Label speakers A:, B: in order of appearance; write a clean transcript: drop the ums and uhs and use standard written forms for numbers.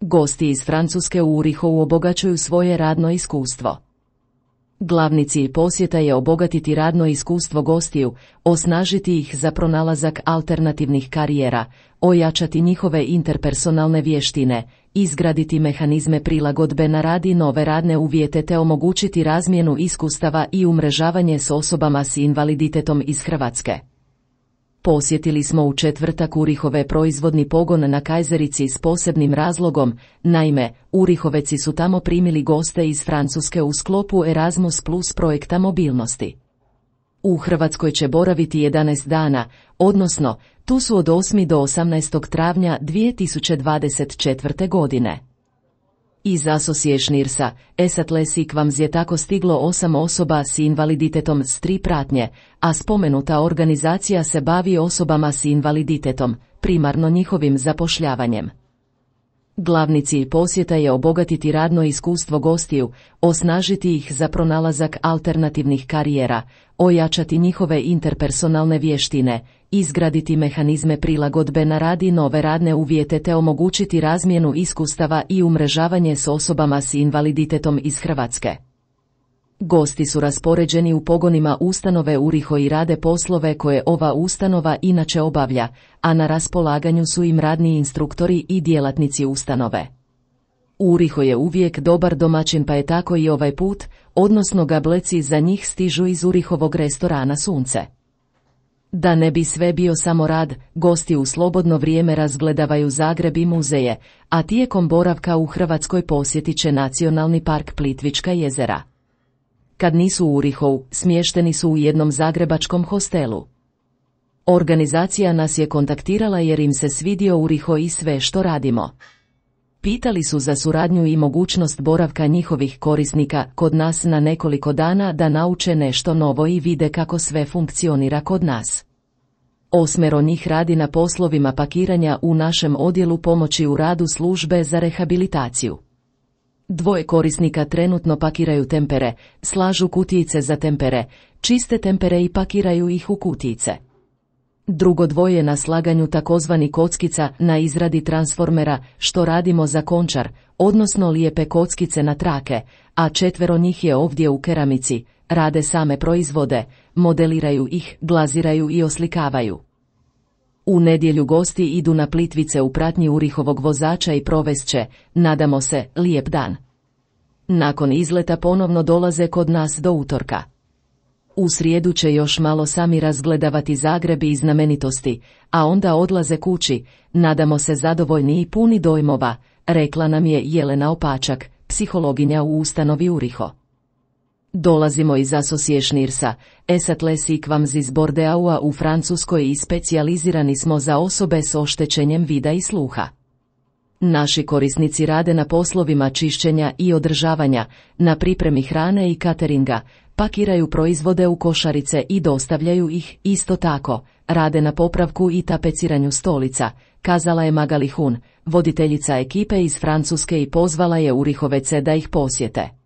A: Gosti iz Francuske u Urihovu obogaćuju svoje radno iskustvo. Glavni cilj posjeta je obogatiti radno iskustvo gostiju, osnažiti ih za pronalazak alternativnih karijera, ojačati njihove interpersonalne vještine, izgraditi mehanizme prilagodbe na rad i nove radne uvjete te omogućiti razmjenu iskustava i umrežavanje s osobama s invaliditetom iz Hrvatske. Posjetili smo u četvrtak Urihove proizvodni pogon na Kajzerici s posebnim razlogom, naime, Urihoveci su tamo primili goste iz Francuske u sklopu Erasmus Plus projekta mobilnosti. U Hrvatskoj će boraviti 11 dana, odnosno, tu su od 8. do 18. travnja 2024. godine. Iz Associationirsa, Esatlesikvams je tako stiglo 8 osoba s invaliditetom s 3 pratnje, a spomenuta organizacija se bavi osobama s invaliditetom, primarno njihovim zapošljavanjem. Glavni cilj posjeta je obogatiti radno iskustvo gostiju, osnažiti ih za pronalazak alternativnih karijera, ojačati njihove interpersonalne vještine, izgraditi mehanizme prilagodbe na rad i nove radne uvjete te omogućiti razmjenu iskustava i umrežavanje s osobama s invaliditetom iz Hrvatske. Gosti su raspoređeni u pogonima ustanove Uriho i rade poslove koje ova ustanova inače obavlja, a na raspolaganju su im radni instruktori i djelatnici ustanove. Uriho je uvijek dobar domaćin pa je tako i ovaj put, odnosno gableci za njih stižu iz Urihovog restorana Sunce. Da ne bi sve bio samo rad, gosti u slobodno vrijeme razgledavaju Zagreb i muzeje, a tijekom boravka u Hrvatskoj posjetit će Nacionalni park Plitvička jezera. Kad nisu u Urihovu, smješteni su u jednom zagrebačkom hostelu. Organizacija nas je kontaktirala jer im se svidio Uriho i sve što radimo. Pitali su za suradnju i mogućnost boravka njihovih korisnika kod nas na nekoliko dana da nauče nešto novo i vide kako sve funkcionira kod nas. 8 njih radi na poslovima pakiranja u našem odjelu pomoći u radu službe za rehabilitaciju. 2 korisnika trenutno pakiraju tempere, slažu kutijice za tempere, čiste tempere i pakiraju ih u kutijice. Drugo 2 na slaganju takozvani kockica na izradi transformera, što radimo za Končar, odnosno lijepe kockice na trake, a 4 njih je ovdje u keramici, rade same proizvode, modeliraju ih, glaziraju i oslikavaju. U nedjelju gosti idu na Plitvice u pratnji Urihovog vozača i provest će, nadamo se, lijep dan. Nakon izleta ponovno dolaze kod nas do utorka. U srijedu će još malo sami razgledavati Zagreb i znamenitosti, a onda odlaze kući, nadamo se zadovoljni i puni dojmova, rekla nam je Jelena Opačak, psihologinja u ustanovi Uriho. Dolazimo iz Associationirsa, Esatlesikvams iz Bordeaua u Francuskoj i specijalizirani smo za osobe s oštećenjem vida i sluha. Naši korisnici rade na poslovima čišćenja i održavanja, na pripremi hrane i cateringa, pakiraju proizvode u košarice i dostavljaju ih, isto tako, rade na popravku i tapeciranju stolica, kazala je Magali Hun, voditeljica ekipe iz Francuske i pozvala je Urihovece da ih posjete.